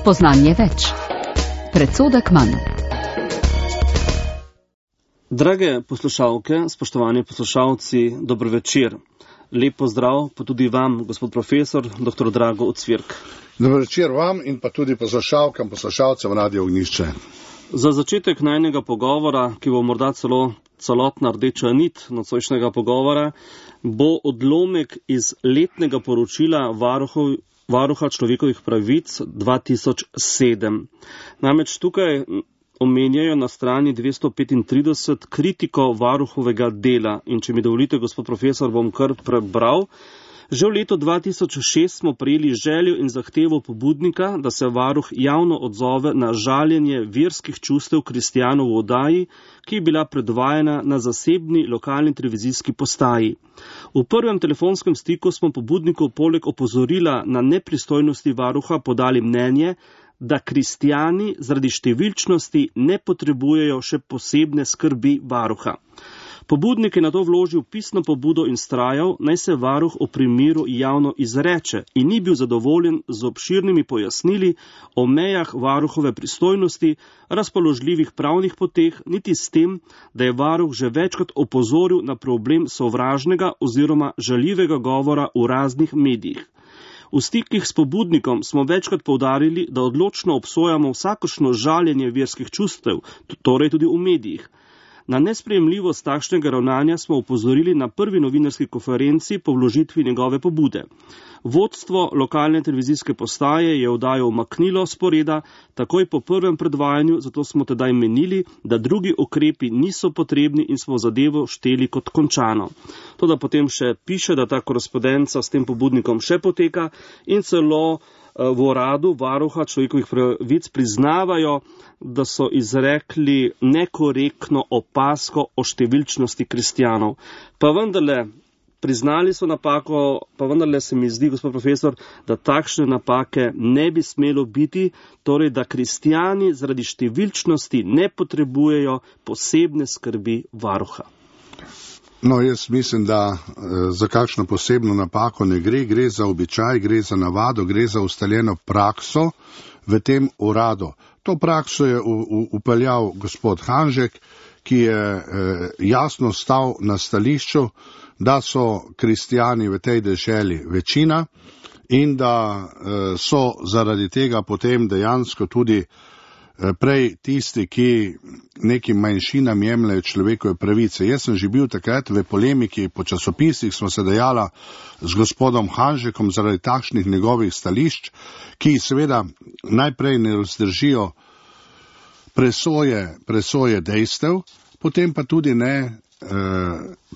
Spoznanje več. Predsodek manj. Drage poslušalke, spoštovani poslušalci, dobro večer. Lep pozdrav pa tudi vam, gospod profesor, dr. Drago Ocvirk. Dobro večer vam in pa tudi poslušalkam, poslušalcem Radio Ognjišče. Za začetek najnega pogovora, ki bo morda celotna rdeča nit nocojšnjega pogovora, bo odlomek iz letnega poročila Varuha človekovih pravic 2007. Namreč tukaj omenjajo na strani 235 kritiko varuhovega dela. In če mi dovolite, gospod profesor, bom kar prebral. Že v letu 2006 smo prejeli željo in zahtevo pobudnika, da se varuh javno odzove na žaljenje verskih čustev kristjanov v oddaji, ki je bila predvajana na zasebni lokalni televizijski postaji. V prvem telefonskem stiku smo pobudniku poleg opozorila na nepristojnosti varuha podali mnenje, da kristjani zaradi številčnosti ne potrebujejo še posebne skrbi varuha. Pobudnik je na to vložil pisno pobudo in vztrajal, naj se varuh o primeru javno izreče in ni bil zadovoljen z obširnimi pojasnili o mejah varuhove pristojnosti, razpoložljivih pravnih poteh, niti s tem, da je varuh že večkrat opozoril na problem sovražnega oziroma žaljivega govora v raznih medijih. V stikih s pobudnikom smo večkrat poudarili, da odločno obsojamo vsakošno žaljenje verskih čustev, torej tudi v medijih. Na nesprejemljivost takšnega ravnanja smo upozorili na prvi novinarski konferenci po vložitvi njegove pobude. Vodstvo lokalne televizijske postaje je oddajo umaknilo sporeda takoj po prvem predvajanju, zato smo tedaj menili, da drugi ukrepi niso potrebni in smo zadevo šteli kot končano. Toda potem še piše, da ta korespondenca s tem pobudnikom še poteka in celo v uradu varuha človekovih pravic priznavajo, da so izrekli nekorektno opazko o številčnosti kristjanov. Pa vendarle, priznali so napako, pa vendarle se mi zdi, gospod profesor, da takšne napake ne bi smelo biti, torej da kristjani zaradi številčnosti ne potrebujejo posebne skrbi varuha. No, jaz mislim, da za kakšno posebno napako ne gre, gre za običaj, gre za navado, gre za ustaljeno prakso v tem uradu. To prakso je upeljal gospod Hanžek, ki je jasno stal na stališču, da so kristjani v tej deželi večina in da so zaradi tega potem dejansko tudi prej tisti, ki nekim manjšinam jemljajo človekove pravice. Jaz sem že bil takrat v polemiki po časopisih, smo se dejala z gospodom Hanžekom zaradi takšnih njegovih stališč, ki seveda najprej ne vzdržijo presoje dejstev, potem pa tudi ne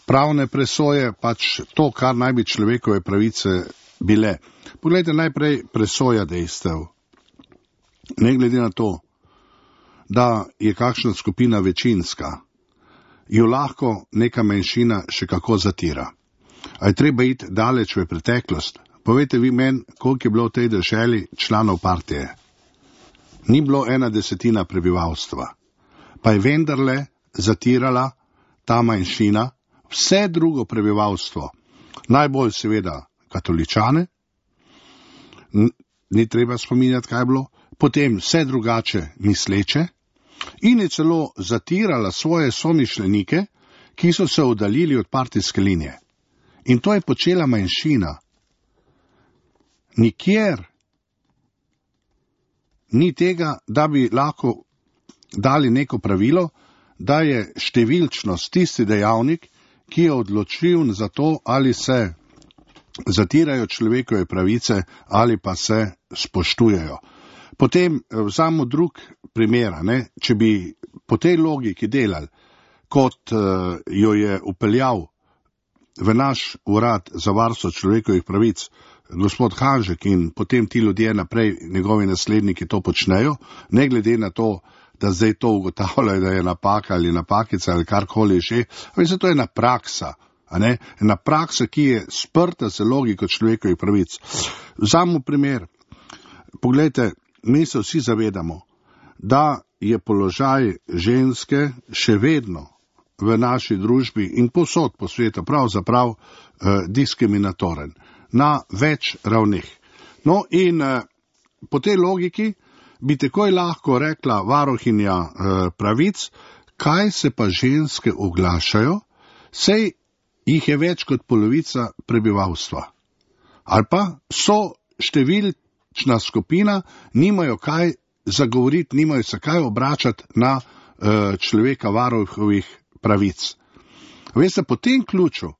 pravne presoje, pač to, kar naj bi človekove pravice bile. Poglejte, najprej presoja dejstev. Ne glede na to, da je kakšna skupina večinska, jo lahko neka manjšina še kako zatira. A je treba iti daleč v preteklost? Povejte vi meni, koliko je bilo v tej deželi članov partije? Ni bilo 1/10 prebivalstva. Pa je vendarle zatirala ta manjšina vse drugo prebivalstvo. Najbolj seveda katoličane, ni treba spominjati, kaj je bilo, potem vse drugače misleče in je celo zatirala svoje somišljenike, ki so se oddaljili od partijske linije. In to je počela manjšina. Nikjer ni tega, da bi lahko dali neko pravilo, da je številčnost tisti dejavnik, ki je odločil za to, ali se zatirajo človekove pravice ali pa se spoštujejo. Potem vzamo drug primer, če bi po tej logiki delali, kot jo je upeljal v naš urad za varstvo človekovih pravic gospod Hanžek in potem ti ljudje naprej, njegovi nasledniki to počnejo, ne glede na to, da zdaj to ugotavljajo, da je napaka ali napakica ali karkoli že, ampak to je ena praksa. Ena praksa, ki je sprta z logiko človekovih pravic. Vzamemo primer. Poglejte, mi se vsi zavedamo, da je položaj ženske še vedno v naši družbi in povsod po svetu pravzaprav diskriminatoren na več ravneh. No in po tej logiki bi takoj lahko rekla varuhinja pravic, kaj se pa ženske oglašajo, sej jih je več kot polovica prebivalstva. Ali pa so številčna skupina, nimajo kaj zagovoriti, nimajo se kaj obračati na človeka varuhovih pravic. Veste, po tem ključu,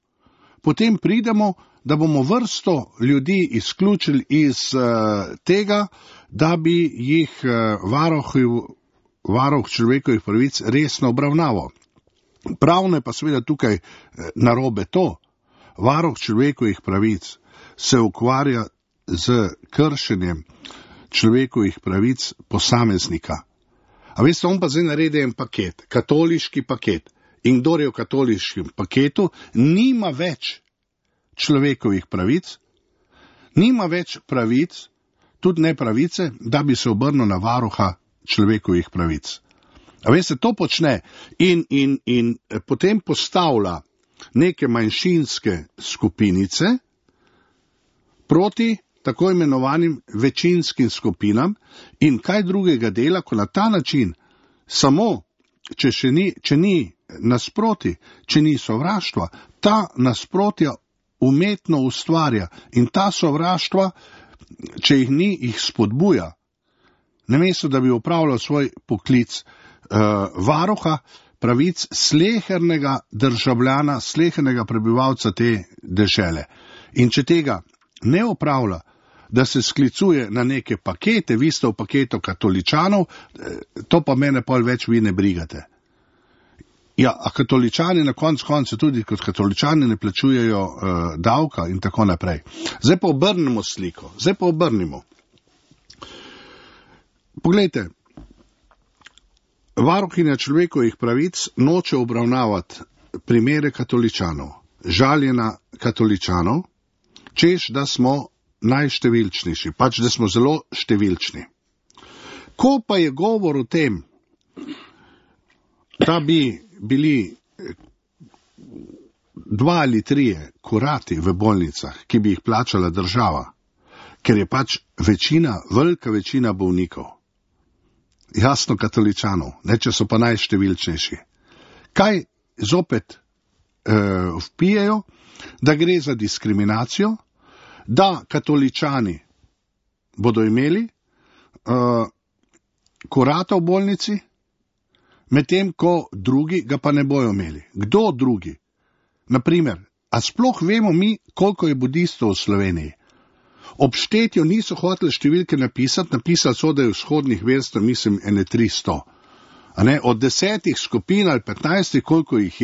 potem pridemo, da bomo vrsto ljudi izključili iz tega, da bi jih varuh človekovih pravic resno obravnaval. Pravno je pa seveda tukaj narobe to. Varuh človekovih pravic se ukvarja z kršenjem človekovih pravic posameznika. A veste, on pa zdaj naredi en paket, katoliški paket. In kdor je v katoliškem paketu, nima več človekovih pravic, nima več pravic, tudi ne pravice, da bi se obrnil na varuha človekovih pravic. A veste, to počne in potem postavlja neke manjšinske skupinice proti tako imenovanim večinskim skupinam in kaj drugega dela, ko na ta način samo, če ni nasproti, če ni sovraštva, ta nasprotja umetno ustvarja in ta sovraštva, če jih ni, jih spodbuja. Namesto da bi opravljal svoj poklic varuha pravic slehernega državljana, slehernega prebivalca te dežele. In če tega ne opravlja, da se sklicuje na neke pakete, vi ste v paketu katoličanov, to pa mene pol več vi ne brigate. Ja, a katoličani na koncu tudi kot katoličani ne plačujejo davka in tako naprej. Zdaj pa obrnemo sliko, Poglejte, varuhinja človekovih pravic noče obravnavati primere katoličanov, žaljena katoličanov, češ, da smo najštevilčnejši, pač da smo zelo številčni. Ko pa je govor o tem, da bi bili 2 ali 3 kurati v bolnicah, ki bi jih plačala država, ker je pač velika večina bolnikov, jasno katoličanov, ne, če so pa najštevilčnejši. Kaj zopet vpijejo? Da gre za diskriminacijo, da katoličani bodo imeli kurata v bolnici, medtem ko drugi ga pa ne bojo imeli. Kdo drugi? Naprimer, a sploh vemo mi, koliko je budistov v Sloveniji? Ob štetju niso hoteli številke napisali so, da je vzhodnih verstev, mislim, 300. Od 10 skupin ali 15, koliko jih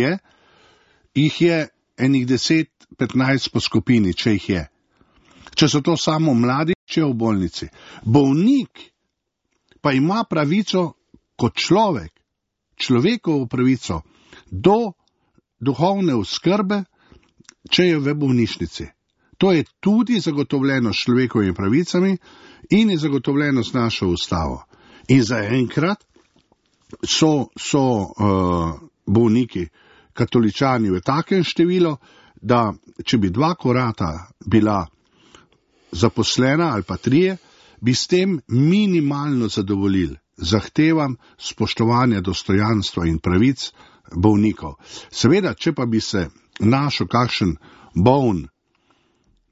je enih 10-15 po skupini, če jih je. Če so to samo mladi, če je v bolnici. Bolnik pa ima pravico kot človek, človekovo pravico do duhovne oskrbe, če je v bolnišnici. To je tudi zagotovljeno s človekovimi pravicami in je zagotovljeno s našo ustavo. In zaenkrat so bolniki katoličani v takem številu, da če bi 2 kurata bila zaposlena ali pa 3, bi s tem minimalno zadovoljili zahtevam spoštovanja dostojanstva in pravic bolnikov. Seveda, če pa bi se našel kakšen boln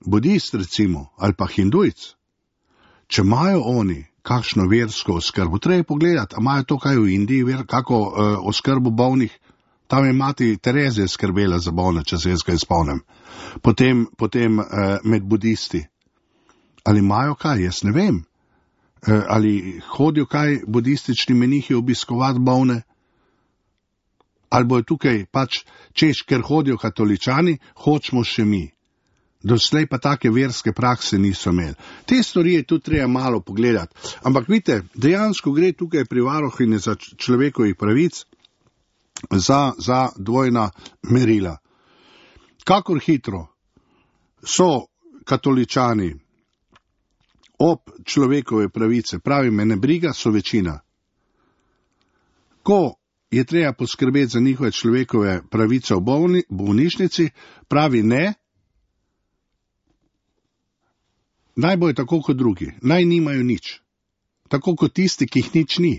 budist recimo ali pa hindujc, če imajo oni kakšno versko oskrbo, treba pogledati, a imajo to kaj v Indiji, kako oskrbo bolnih. Tam je mati Terezija skrbela za bolne, če se jaz kaj spomnim. Potem med budisti. Ali imajo kaj, jaz ne vem. Ali hodijo kaj budistični menihi obiskovati bolne? Ali bojo tukaj pač, češ, ker hodijo katoličani, hočemo še mi. Doslej pa take verske prakse niso imeli. Te stvari je tudi treba malo pogledati. Ampak vidite, dejansko gre tukaj pri varuhinji za človekovih pravic, za dvojna merila. Kakor hitro so katoličani ob človekove pravice, pravi me ne briga, so večina. Ko je treba poskrbeti za njihove človekove pravice v bolnišnici, pravi ne, naj bojo tako kot drugi, naj nimajo nič. tako kot tisti, ki jih nič ni.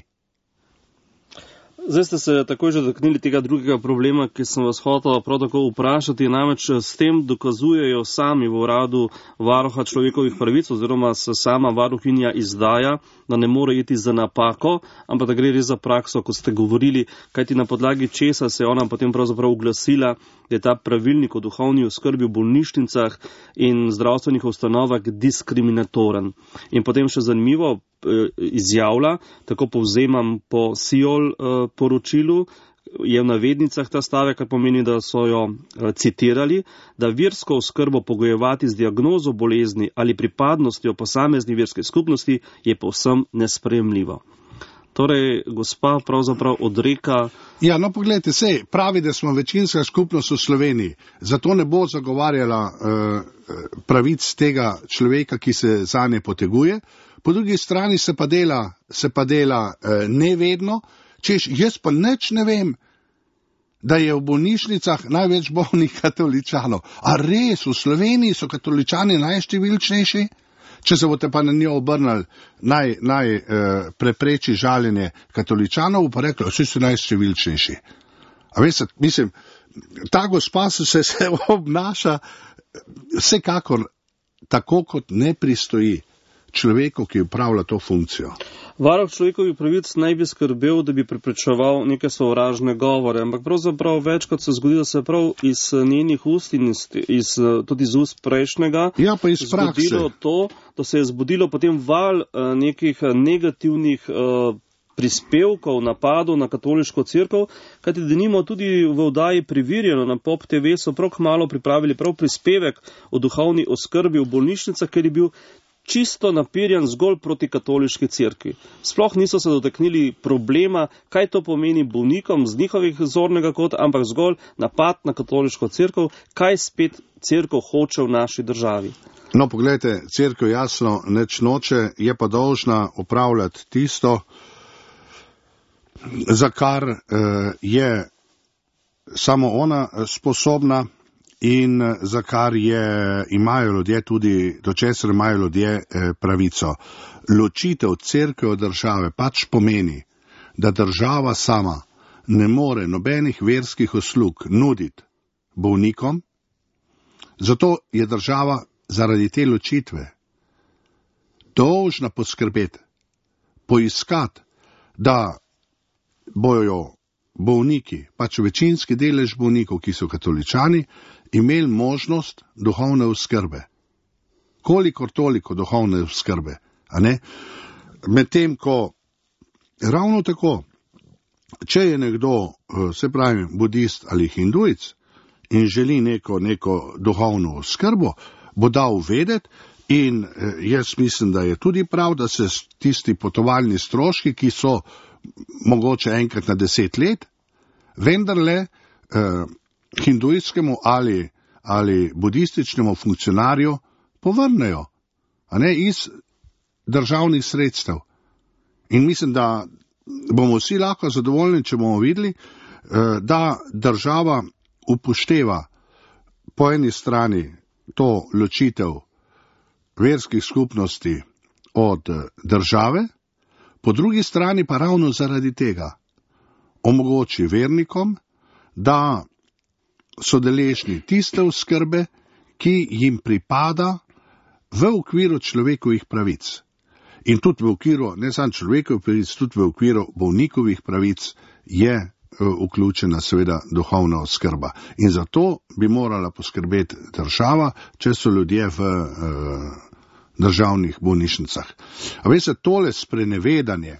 Zdaj ste se takoj že dotaknili tega drugega problema, ki sem vas hotel prav tako vprašati, namreč s tem dokazujejo sami v uradu varuha človekovih pravic oziroma se sama varuhinja izdaja, da ne more iti za napako, ampak da gre res za prakso, ko ste govorili, kajti na podlagi česa se je ona potem pravzaprav oglasila, da je ta pravilnik o duhovni oskrbi v bolnišnicah in zdravstvenih ustanovah diskriminatoren. In potem še zanimivo izjavlja, tako povzemam po SIOL poročilu, je v navednicah ta stavek, kar pomeni, da so jo citirali, da versko oskrbo pogojevati z diagnozo bolezni ali pripadnostjo posamezni verske skupnosti je povsem nesprejemljivo. Torej, gospa pravzaprav odreka... Ja, no pogledajte, sej pravi, da smo večinska skupnost v Sloveniji, zato ne bo zagovarjala pravic tega človeka, ki se zanje poteguje. Po drugi strani se pa dela nevedno, češ, jaz pa nič ne vem, da je v bolnišnicah največ bolnih katoličanov. A res, v Sloveniji so katoličani najštevilčnejši? Če se boste pa na njo obrnili, naj prepreči žaljenje katoličanov, pa rekli, vsi so najštevilčnejši. A veste, mislim, ta gospa se obnaša vsekakor tako, kot ne pristoji človeku, ki upravlja to funkcijo. Varuh človekovih pravic naj bi skrbel, da bi preprečeval neke sovražne govore, ampak pravzaprav večkrat se zgodi, da se prav iz njenih ust in tudi iz ust prejšnjega zgodilo to, da se je zbudilo potem val nekih negativnih prispevkov, napadov na katoliško cerkev, kajti denimo tudi v oddaji Preverjeno na Pop TV so prav kmalu pripravili prav prispevek o duhovni oskrbi v bolnišnicah, ker je bil čisto napirjan zgolj proti katoliški cerkvi. Sploh niso se dotaknili problema, kaj to pomeni bolnikom z njihovih zornega kota, ampak zgolj napad na katoliško cerkev, kaj spet cerkev hoče v naši državi. No, pogledajte, cerkev jasno neč noče, je pa dolžna upravljati tisto, za kar je samo ona sposobna, in za kar imajo ljudje tudi, do česar imajo ljudje pravico. Ločitev cerkve od države pač pomeni, da država sama ne more nobenih verskih uslug nuditi bolnikom, zato je država zaradi te ločitve dolžna poskrbeti, poiskati, da bojo bolniki, pač večinski delež bolnikov, ki so katoličani, imeli možnost duhovne oskrbe. Kolikor toliko duhovne oskrbe, a ne? Medtem ko ravno tako, če je nekdo, se pravi, budist ali hindujec in želi neko duhovno oskrbo, bo dal vedeti in jaz mislim, da je tudi prav, da se tisti potovalni stroški, ki so mogoče enkrat na 10 let, vendarle hindujskemu ali budističnemu funkcionarju povrnejo, a ne, iz državnih sredstev. In mislim, da bomo vsi lahko zadovoljni, če bomo videli, da država upošteva po eni strani to ločitev verskih skupnosti od države, po drugi strani pa ravno zaradi tega omogoči vernikom, da so deležni tiste oskrbe, ki jim pripada v okviru človekovih pravic. In tudi v okviru, ne samo človekovih pravic, tudi v okviru bolnikovih pravic je vključena seveda duhovna oskrba. In zato bi morala poskrbeti država, če so ljudje v državnih bolnišnicah. A veste, tole sprenevedanje,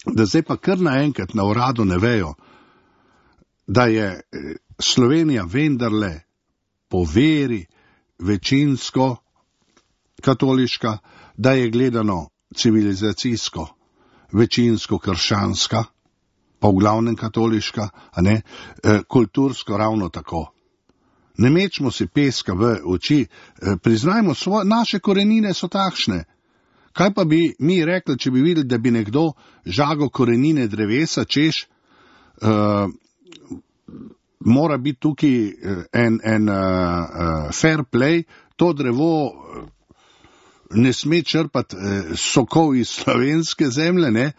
da zdaj pa kar naenkrat na uradu ne vejo, da je Slovenija vendarle po veri večinsko katoliška, da je gledano civilizacijsko večinsko krščanska, pa v glavnem katoliška, a ne, kultursko ravno tako. Ne mečmo si peska v oči, priznajmo, naše korenine so takšne. Kaj pa bi mi rekli, če bi videli, da bi nekdo žagal korenine drevesa, češ, mora biti tukaj en fair play, to drevo ne sme črpati sokov iz slovenske zemlje, ne,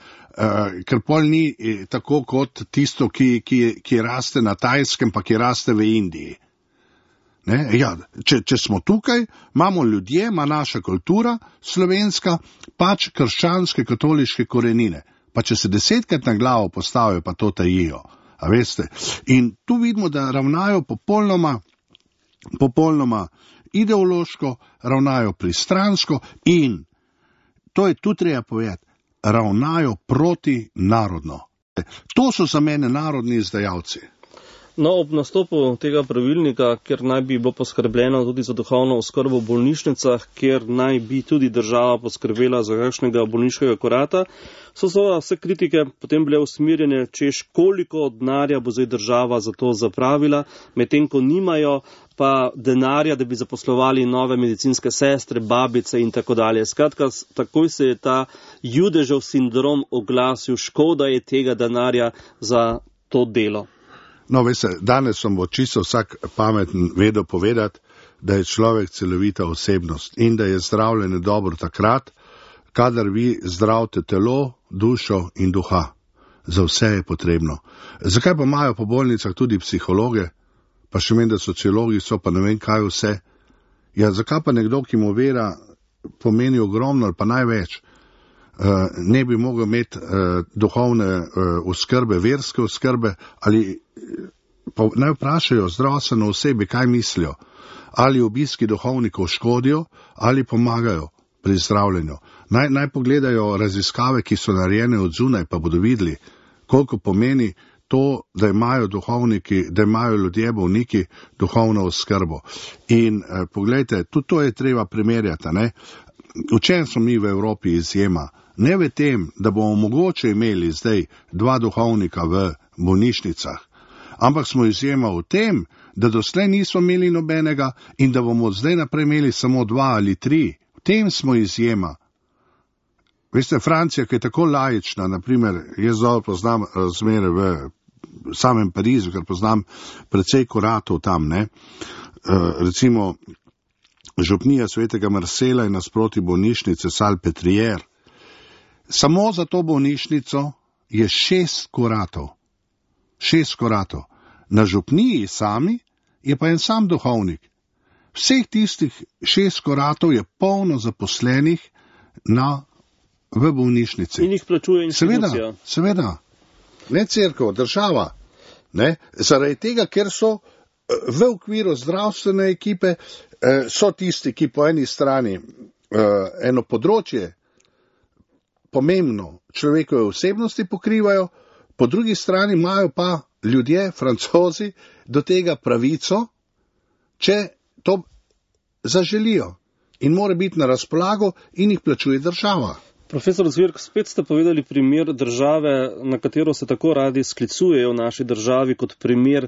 ker pol ni tako kot tisto, ki raste na Tajskem, pa ki raste v Indiji. Ne, ja, če smo tukaj, imamo ljudje, ima naša kultura slovenska, pač krščanske katoliške korenine. Pa če se 10krat na glavo postavijo, pa to tajijo. A veste? In tu vidimo, da ravnajo popolnoma ideološko, ravnajo pristransko in, to je tu treba povedati, ravnajo protinnarodno. To so za mene narodni izdajalci. No, ob nastopu tega pravilnika, kjer naj bi bilo poskrbljeno tudi za duhovno oskrbo v bolnišnicah, kjer naj bi tudi država poskrbela za kakšnega bolniškega kurata, so vse kritike potem bile usmerjene, češ koliko denarja bo zdaj država za to zapravila, medtem ko nimajo pa denarja, da bi zaposlovali nove medicinske sestre, babice in tako dalje. Skratka, takoj se je ta Judežev sindrom oglasil, škoda je tega denarja za to delo. No, veste, danes sem bo čisto vsak pameten vedel povedati, da je človek celovita osebnost in da je zdravljenje dobro takrat, kadar vi zdravite telo, dušo in duha. Za vse je potrebno. Zakaj pa imajo po bolnicah tudi psihologe, pa še meni, da sociologi so, pa ne vem kaj vse? Ja, zakaj pa nekdo, ki mu vera pomeni ogromno ali pa največ, ne bi mogel imeti duhovne oskrbe, verske oskrbe, ali pa naj vprašajo zdravstveno osebi, kaj mislijo, ali obiski duhovnikov škodijo, ali pomagajo pri zdravljenju. Naj pogledajo raziskave, ki so narejene od zunaj, pa bodo videli, koliko pomeni to, da imajo duhovniki, da imajo ljudje, bolniki, duhovno oskrbo. In poglejte, tudi to je treba primerjati, ne? V čem smo mi v Evropi izjema? Ne v tem, da bomo mogoče imeli zdaj 2 duhovnika v bolnišnicah, ampak smo izjema v tem, da doslej nismo imeli nobenega in da bomo zdaj naprej imeli samo 2 ali 3. V tem smo izjema. Veste, Francija, ki je tako laična, naprimer, jaz dobro poznam razmere v samem Parizu, ker poznam precej kuratov tam, ne. Recimo, župnija svetega Marsela je nasproti bolnišnice Salpêtrière. Samo za to bolnišnico je 6 kuratov. 6 kuratov. Na župniji sami je pa en sam duhovnik. Vseh tistih 6 kuratov je polno zaposlenih v bolnišnici. In jih plačuje institucija. Seveda. Ne cerkev, država. Ne? Zaradi tega, ker so v okviru zdravstvene ekipe, so tisti, ki po eni strani eno področje pomembno človekove osebnosti pokrivajo, po drugi strani imajo pa ljudje, Francozi, do tega pravico, če to zaželijo. In mora biti na razpolago in jih plačuje država. Profesor Zvirk, spet ste povedali primer države, na katero se tako radi sklicujejo v naši državi kot primer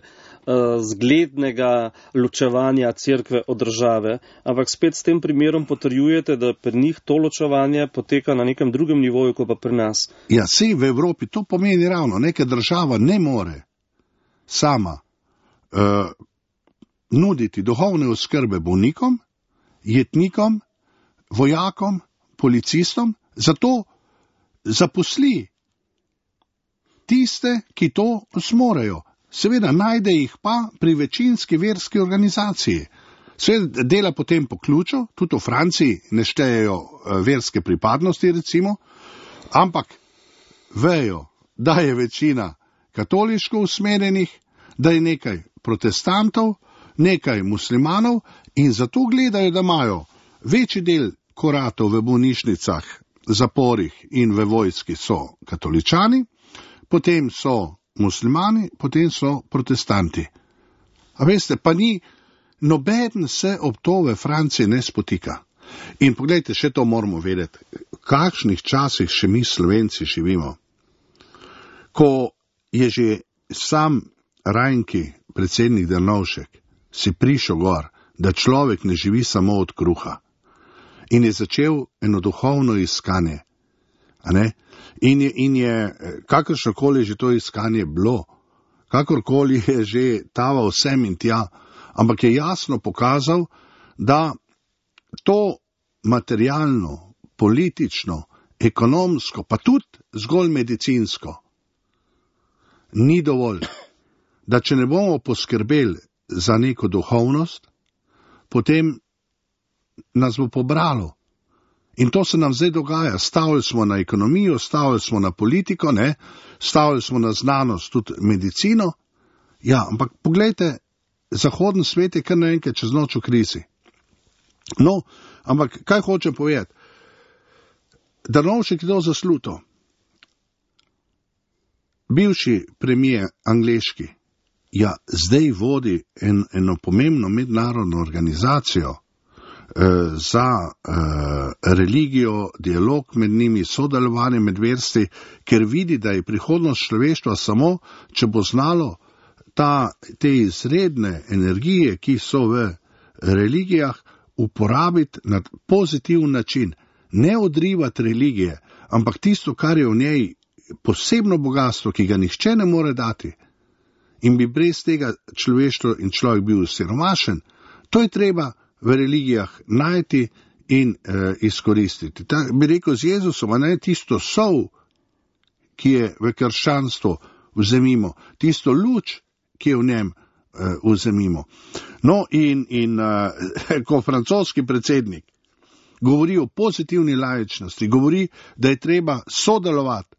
zglednega ločevanja cerkve od države, ampak spet s tem primerom potrjujete, da pri njih to ločevanje poteka na nekem drugem nivoju, kot pa pri nas. Ja, sej v Evropi to pomeni ravno, neka država ne more sama nuditi duhovne oskrbe bolnikom, jetnikom, vojakom, policistom, zato zaposli tiste, ki to zmorejo. Seveda najde jih pa pri večinski verski organizaciji. Seveda dela potem po ključu, tudi v Franciji ne štejejo verske pripadnosti recimo, ampak vejo, da je večina katoliško usmerjenih, da je nekaj protestantov, nekaj muslimanov in zato gledajo, da imajo večji del kuratov v bolnišnicah, zaporih in v vojski so katoličani, potem so muslimani, potem so protestanti. A veste, pa ni, nobeden se ob to v Franciji ne spotika. In pogledajte, še to moramo vedeti, v kakšnih časih še mi Slovenci živimo. Ko je že sam Rajnki, predsednik Drnovšek, si prišel gor, da človek ne živi samo od kruha. In je začel eno duhovno iskanje. A ne? In je kakršnokoli že to iskanje bilo, kakorkoli je že taval sem in tja, ampak je jasno pokazal, da to materialno, politično, ekonomsko, pa tudi zgolj medicinsko, ni dovolj, da če ne bomo poskrbeli za neko duhovnost, potem nas bo pobralo. In to se nam zdaj dogaja. Stavili smo na ekonomijo, stavili smo na politiko, ne? Stavili smo na znanost, tudi medicino. Ja, ampak poglejte, zahodni svet je kar naenkrat čez noč v krizi. No, ampak kaj hočem povedati? Drnovšek je to zasluto. Bivši premijer angleški, ja, zdaj vodi eno pomembno mednarodno organizacijo za religijo, dialog med njimi, sodelovanje med verstvi, ker vidi, da je prihodnost človeštva samo, če bo znalo te izredne energije, ki so v religijah, uporabiti na pozitiven način. Ne odrivati religije, ampak tisto, kar je v njej posebno bogatstvo, ki ga nihče ne more dati in bi brez tega človeštvo in človek bil siromašen, to je treba v religijah najti in izkoristiti. Bi rekel z Jezusom, ne tisto sol, ki je v krščanstvu, vzemimo, tisto luč, ki je v njem, vzemimo. No in ko francoski predsednik govori o pozitivni laičnosti, govori, da je treba sodelovati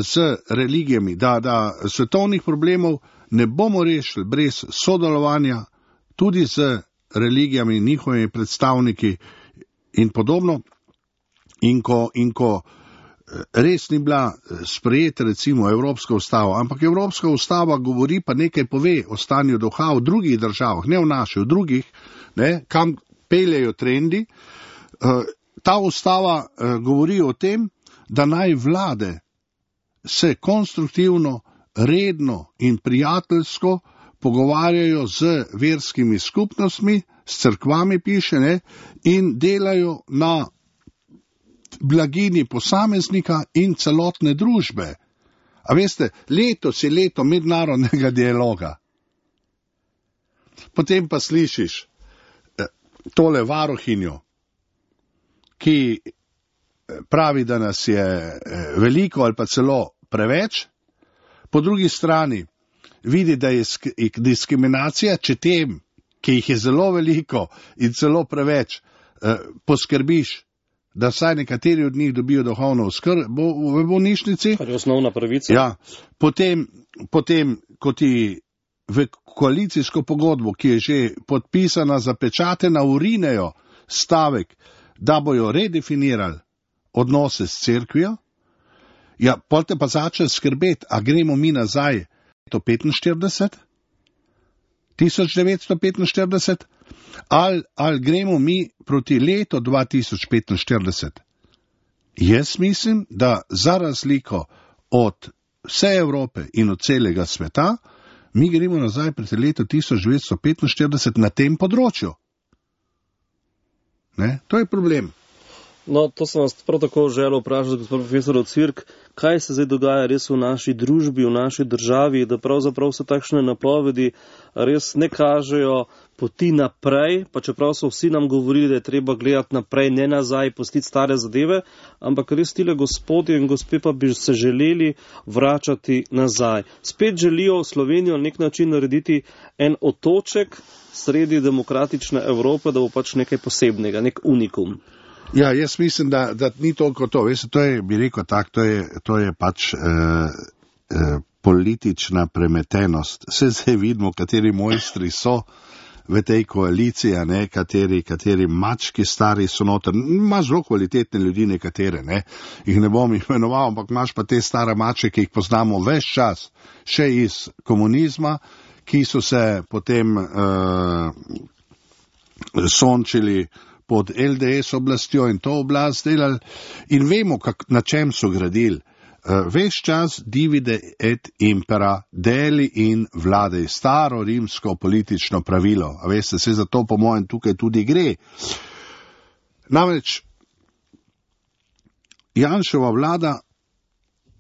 z religijami, da svetovnih problemov ne bomo rešili brez sodelovanja tudi z religijami, njihovimi predstavniki in podobno. In ko res ni bila sprejeta recimo Evropska ustava, ampak Evropska ustava govori pa nekaj pove o stanju duha v drugih državah, ne v naši, v drugih, ne, kam peljejo trendi. Ta ustava govori o tem, da naj vlade se konstruktivno, redno in prijateljsko pogovarjajo z verskimi skupnostmi, s cerkvami piše, ne, in delajo na blagini posameznika in celotne družbe. A veste, letos je leto mednarodnega dialoga. Potem pa slišiš tole varuhinjo, ki pravi, da nas je veliko ali pa celo preveč, po drugi strani vidi, da je diskriminacija, če tem, ki jih je zelo veliko in celo preveč, poskrbiš, da vsaj nekateri od njih dobijo duhovno oskrbo v bolnišnici. Kar je osnovna pravica. Ja, potem, ko ti v koalicijsko pogodbo, ki je že podpisana, zapečatena, urinejo stavek, da bojo redefinirali odnose s cerkvijo, ja, potem te pa začne skrbeti, a gremo mi nazaj 1945, ali gremo mi proti letu 2045. Jaz mislim, da za razliko od vse Evrope in od celega sveta, mi gremo nazaj proti letu 1945 na tem področju. Ne? To je problem. No, to sem vas prav tako želel vprašati, gospod profesor Ocvirk, kaj se zdaj dogaja res v naši družbi, v naši državi, da pravzaprav se takšne napovedi res ne kažejo poti naprej, pa čeprav so vsi nam govorili, da je treba gledati naprej, ne nazaj, pustiti stare zadeve, ampak res tile gospodje in gospe pa bi se želeli vračati nazaj. Spet želijo Slovenijo na nek način narediti en otoček sredi demokratične Evrope, da bo pač nekaj posebnega, nek unikum. Ja, jaz mislim, da ni toliko to. Veste, to je, bi rekel tak, to je pač politična premetenost. Zdaj vidimo, kateri mojstri so v tej koaliciji, ne, kateri mački stari so noter. Imaš zelo kvalitetne ljudi nekatere, ne, jih ne bom imenoval, ampak imaš pa te stare mače, ki jih poznamo ves čas, še iz komunizma, ki so se potem sončili pod LDS oblastjo in to oblast delali in vemo, na čem so gradili. Ves čas divide et impera, deli in vladaj, staro rimsko politično pravilo. A veste, se za to po mojem tukaj tudi gre. Namreč Janševa vlada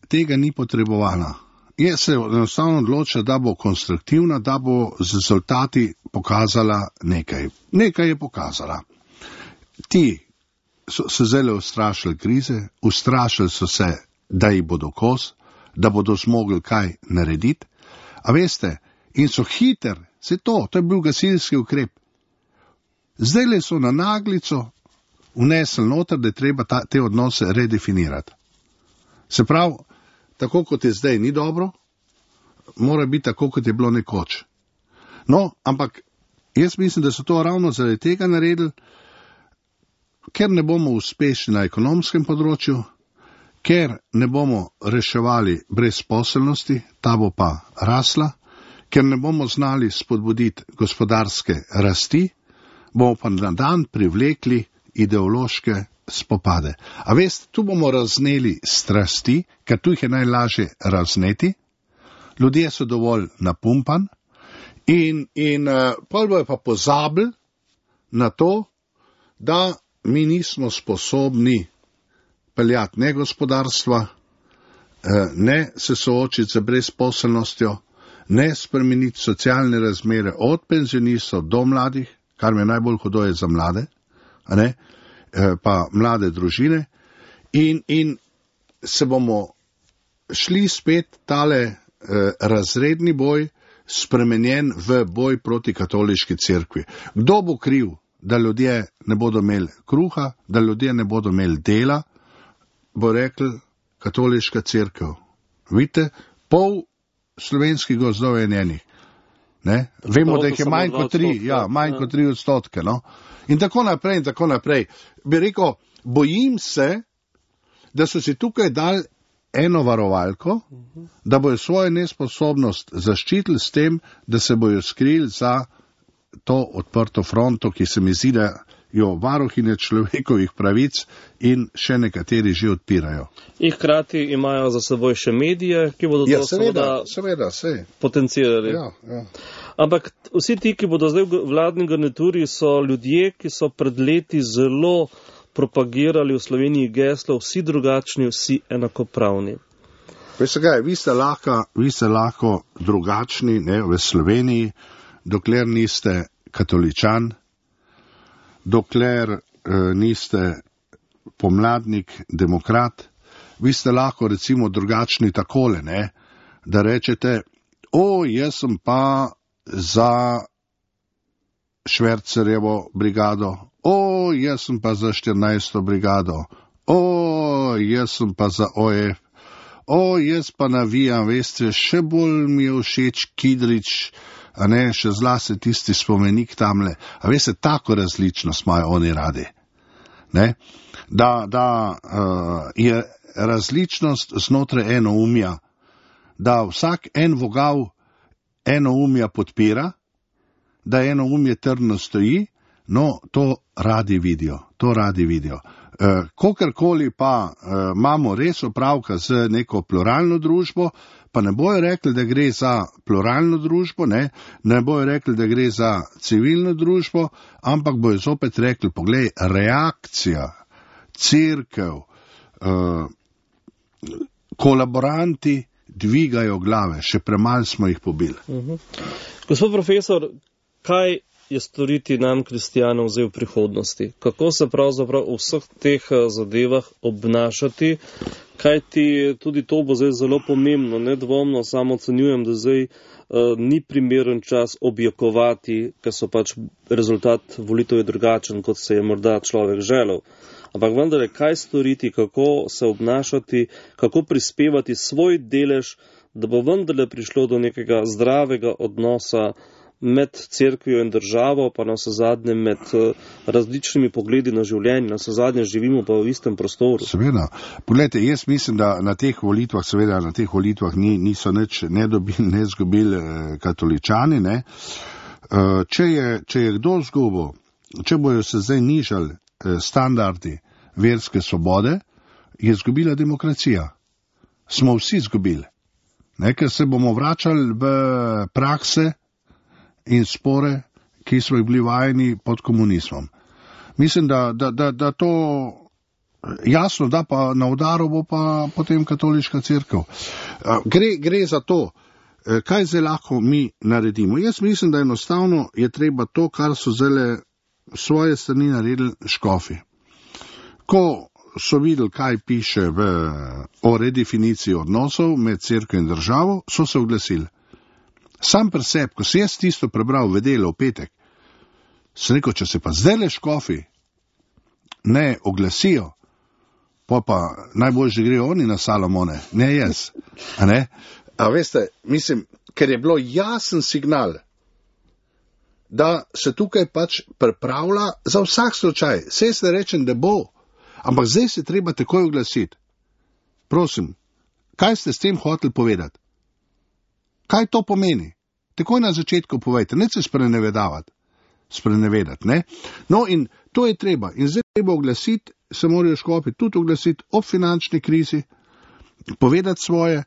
tega ni potrebovala. Je se enostavno odločila, da bo konstruktivna, da bo z rezultati pokazala nekaj. Nekaj je pokazala. ti so se zelo ustrašili krize, ustrašili so se, da jih bodo kos, da bodo zmogli kaj narediti. A veste, in so hiter, to je bil gasilski ukrep. Zdaj so na naglico vnesli noter, da je treba te odnose redefinirati. Se pravi, tako kot je zdaj ni dobro, mora biti tako, kot je bilo nekoč. No, ampak jaz mislim, da so to ravno zaradi tega naredili, ker ne bomo uspešni na ekonomskem področju, ker ne bomo reševali brezposelnosti, ta bo pa rasla, ker ne bomo znali spodbuditi gospodarske rasti, bomo pa na dan privlekli ideološke spopade. A veste, tu bomo razneli strasti, ker tu jih je najlažje razneti, ljudje so dovolj napumpan in pol bojo pa pozabili na to, da mi nismo sposobni peljati ne gospodarstva, ne se soočiti z brezposelnostjo, ne spremeniti socialne razmere od penzionistov do mladih, kar me najbolj hudo je za mlade, pa mlade družine, in se bomo šli spet tale razredni boj spremenjen v boj proti katoliški cerkvi. Kdo bo kriv, da ljudje ne bodo imeli kruha, da ljudje ne bodo imeli dela, bo rekel katoliška cerkev. Vidite, pol slovenskih gozdov je njenih. Vemo, da jih je manj kot 3%. No? In tako naprej. Bi rekel, bojim se, da so si tukaj dali eno varovalko, da bojo svojo nesposobnost zaščitili s tem, da se bojo skrili za to odprto fronto, ki se mi zdi, da jo varuhinje človekovih pravic in še nekateri že odpirajo. In hkrati imajo za seboj še medije, ki bodo to seveda potencirali. Ja. Ampak vsi ti, ki bodo zdaj v vladni garnituri, so ljudje, ki so pred leti zelo propagirali v Sloveniji geslo vsi drugačni, vsi enakopravni. Veste kaj, vi ste lahko drugačni v Sloveniji, dokler niste katoličan, dokler niste pomladnik, demokrat. Vi ste lahko recimo drugačni takole, da rečete, jaz sem pa za Švercerjevo brigado, jaz sem pa za 14. brigado, jaz sem pa za OF, jaz pa navijam, veste, še bolj mi je všeč Kidrič, še zlasti tisti spomenik tamle. A veste, tako različnost imajo oni radi. Da je različnost znotraj enoumja, da vsak en vogal enoumja podpira, da enoumje trdno stoji, no, to radi vidijo. Kokarkoli pa imamo res opravka z neko pluralno družbo, pa ne bojo rekli, da gre za pluralno družbo, ne bojo rekli, da gre za civilno družbo, ampak bojo zopet rekli, poglej, reakcija, cerkev, kolaboranti dvigajo glave, še premalo smo jih pobili. Gospod profesor, kaj je storiti nam, kristijanom, zdaj v prihodnosti? Kako se pravzaprav v vseh teh zadevah obnašati? Kajti tudi to bo zdaj zelo pomembno, nedvomno samo ocenjujem, da zdaj ni primeren čas objokovati, ker so pač rezultat volitev je drugačen, kot se je morda človek želel. Ampak vendar, kaj storiti, kako se obnašati, kako prispevati svoj delež, da bo vendarle prišlo do nekega zdravega odnosa med cerkvijo in državo, pa na vse zadnje med različnimi pogledi na življenje, na vse zadnje živimo pa v istem prostoru. Seveda. Poglejte, jaz mislim, da na teh volitvah niso nič ne dobili, ne zgubili katoličani. Če je kdo zgubil, če bojo se zdaj nižali standardi verske svobode, je zgubila demokracija. Smo vsi zgubili. Ker se bomo vračali v prakse in spore, ki smo jih bili vajeni pod komunizmom. Mislim, da to jasno, da pa na udaru bo pa potem katoliška cerkev. Gre za to, kaj zdaj lahko mi naredimo. Jaz mislim, da enostavno je treba to, kar so zdaj svoje strani naredili škofi. Ko so videli, kaj piše o redefiniciji odnosov med cerkev in državo, so se oglasili. Sam pri sebi, ko sem jaz tisto prebral v nedeljo v petek, sem rekel, če se pa zdajle škofi ne oglasijo, pa najbolj grejo oni na Salomone, ne jaz. A veste, mislim, ker je bilo jasen signal, da se tukaj pač pripravlja za vsak slučaj. Saj se rečem, da bo, ampak zdaj se treba takoj oglasiti. Prosim, kaj ste s tem hoteli povedati? Kaj to pomeni? Takoj na začetku povejte, ne se sprenevedati, ne? No in to je treba. In zdaj treba oglasiti, se morajo škofi tudi oglasiti o finančni krizi, povedati svoje.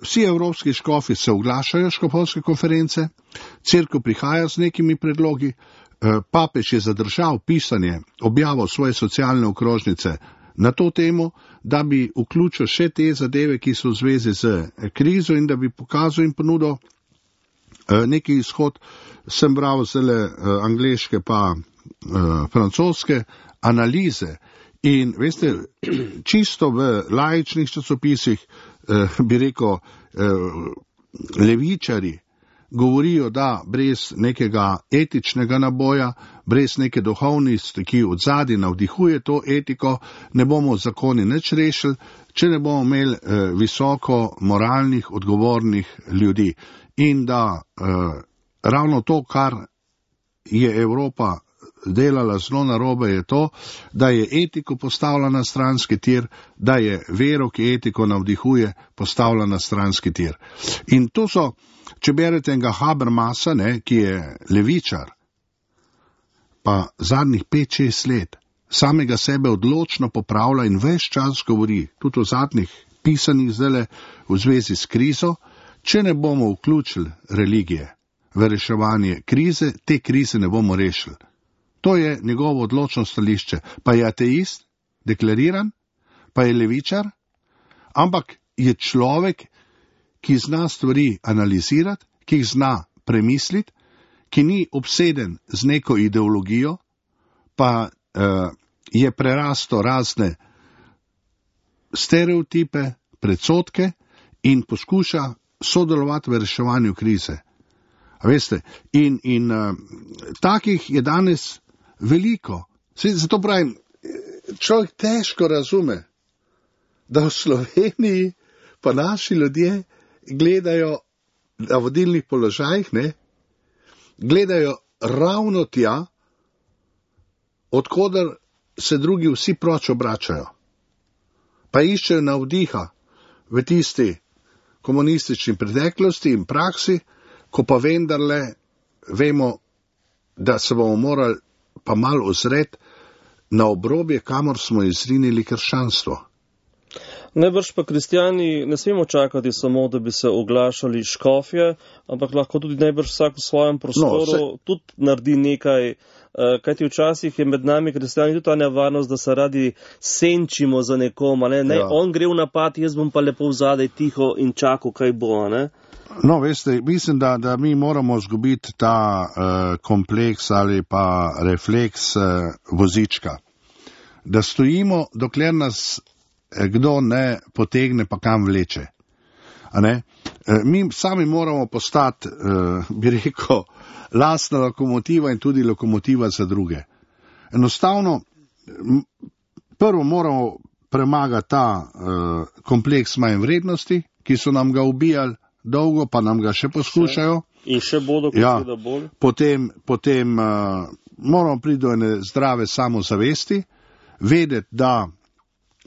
Vsi evropski škofi se oglašajo škofovske konference, cerkev prihaja z nekimi predlogi, papež je zadržal pisanje, objavo svoje socialne okrožnice na to temo, da bi vključil še te zadeve, ki so v zvezi z krizo in da bi pokazal in ponudil neki izhod. Sem bral zelo angleške pa francoske analize in veste, čisto v laičnih časopisih bi rekel, levičari govorijo, da brez nekega etičnega naboja, brez neke duhovnosti, ki od zadaj navdihuje to etiko, ne bomo zakoni nič rešili, če ne bomo imeli visoko moralnih, odgovornih ljudi. In da ravno to, kar je Evropa delala zelo narobe, je to, da je etiko postavila na stranski tir, da je vero, ki etiko navdihuje, postavila na stranski tir. In to so, če berete enega Habermasa, ki je levičar, pa zadnjih 5-6 let samega sebe odločno popravlja in ves čas govori, tudi o zadnjih pisanjih zdajle v zvezi s krizo, če ne bomo vključili religije v reševanje krize, te krize ne bomo rešili. To je njegovo odločno stališče. Pa je ateist, deklariran, pa je levičar, ampak je človek, ki zna stvari analizirati, ki jih zna premisliti, ki ni obseden z neko ideologijo, pa je prerasto razne stereotipe, predsodke in poskuša sodelovati v reševanju krize. A veste, in takih je danes veliko. Zato pravim, človek težko razume, da v Sloveniji pa naši ljudje gledajo na vodilnih položajih, gledajo ravno tja, odkoder se drugi vsi proč obračajo. Pa iščejo navdiha v tisti komunistični preteklosti in praksi, ko pa vendarle vemo, da se bomo morali pa malo ozreti na obrobje, kamor smo izrinili krščanstvo. Najbrž pa kristjani ne smemo čakati samo, da bi se oglašali škofje, ampak lahko tudi najbrž vsak v svojem prostoru tudi naredi nekaj, kajti včasih je med nami kristjani tudi ta nevarnost, da se radi senčimo za nekom, on gre v napad, jaz bom pa lepo vzadej tiho in čakal, kaj bo, No, veste, mislim, da mi moramo zgubiti ta kompleks ali pa refleks vozička. Da stojimo, dokler nas kdo ne potegne, pa kam vleče. Mi sami moramo postati, bi rekel, lastna lokomotiva in tudi lokomotiva za druge. Enostavno, prvo moramo premagati ta kompleks manj vrednosti, ki so nam ga ubijali dolgo, pa nam ga še poskušajo. In še bodo, kot da bolj. Potem moramo priti do ene zdrave samozavesti, vedeti, da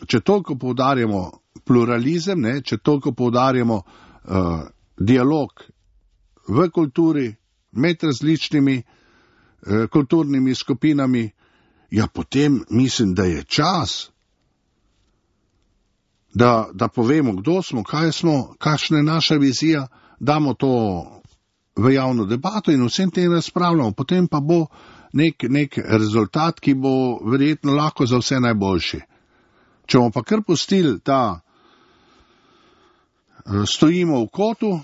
če toliko poudarjamo pluralizem, če toliko poudarjamo dialog v kulturi med različnimi kulturnimi skupinami, potem mislim, da je čas, da povemo, kdo smo, kaj smo, kakšna je naša vizija, damo to v javno debato in vsem tem razpravljamo. Potem pa bo nek rezultat, ki bo verjetno lahko za vse najboljši. Če bomo pa kar pustili, da stojimo v kotu,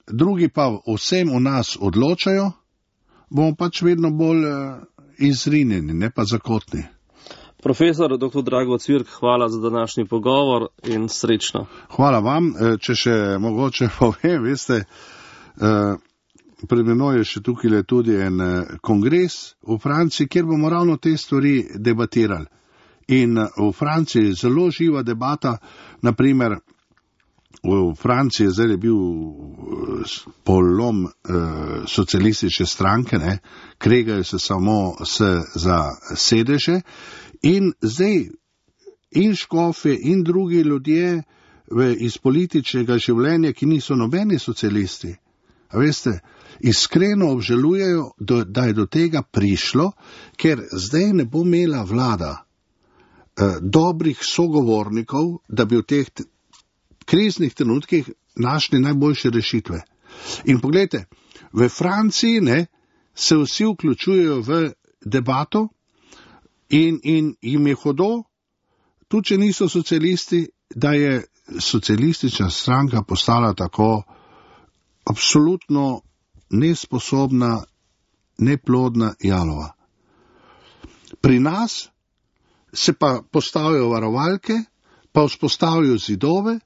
drugi pa vsem v nas odločajo, bomo pač vedno bolj izrinjeni, ne pa zakotni. Profesor dr. Drago Cvirk, hvala za današnji pogovor in srečno. Hvala vam. Če še mogoče povem, veste, pred menoj je še tukaj tudi en kongres v Franciji, kjer bomo ravno te stvari debatirali. In v Franciji zelo živa debata, naprimer v Franciji zdaj je bil polom socialistične stranke, ne, kregajo se samo za sedeže in zdaj in škofje in drugi ljudje iz političnega življenja, ki niso nobeni socialisti, a veste, iskreno obžalujejo, da je do tega prišlo, ker zdaj ne bo imela vlada dobrih sogovornikov, da bi v teh kriznih trenutkih našli najboljše rešitve. In pogledajte, v Franciji se vsi vključujejo v debato in jim je hudo, tudi če niso socialisti, da je socialistična stranka postala tako absolutno nesposobna, neplodna jalova. Pri nas se pa postavijo varovalke, pa vzpostavijo zidove,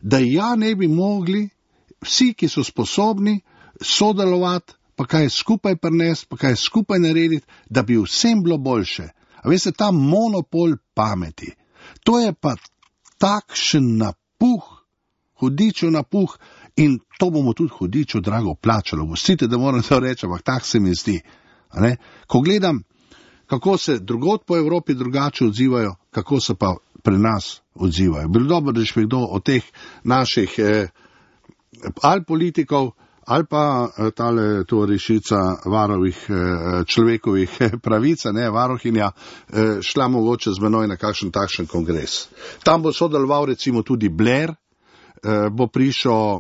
da ne bi mogli vsi, ki so sposobni, sodelovati, pa kaj skupaj prinesti, pa kaj skupaj narediti, da bi vsem bilo boljše. A veste, ta monopol pameti, to je pa takšen napuh, hudičev napuh, in to bomo tudi hudičev drago plačali. Pustite, da moram to reči, ampak tak se mi zdi. Ko gledam, kako se drugod po Evropi drugače odzivajo, kako se pa pri nas odzivajo. Bilo dobro, da je kdo od teh naših ali politikov, ali pa tale tovarišica varovih človekovih pravic, varohinja, šla mogoče z menoj na kakšen takšen kongres. Tam bo sodeloval recimo tudi Blair, bo prišel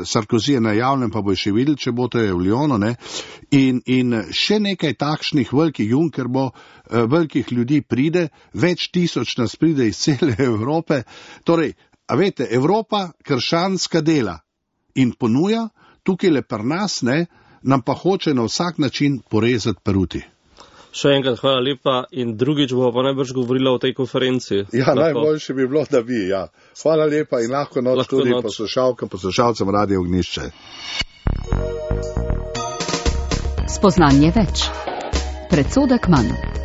Sarkozy na javnem, pa bo še videli, če bo to je v Lyonu, in še nekaj takšnih velikih, Juncker bo, velikih ljudi pride, več tisoč nas pride iz cele Evrope. Torej, a veste, Evropa krščanska dela in ponuja, tukaj le pri nas, nam pa hoče na vsak način porezati peruti. Še enkrat hvala lepa in drugič bo pa najbrž govorila o tej konferenci. Ja, najboljše bi bilo, da bi, ja. Hvala lepa in lahko noč tudi poslušalcem Radio Ognjišče. Spoznanje več. Predsodek manj.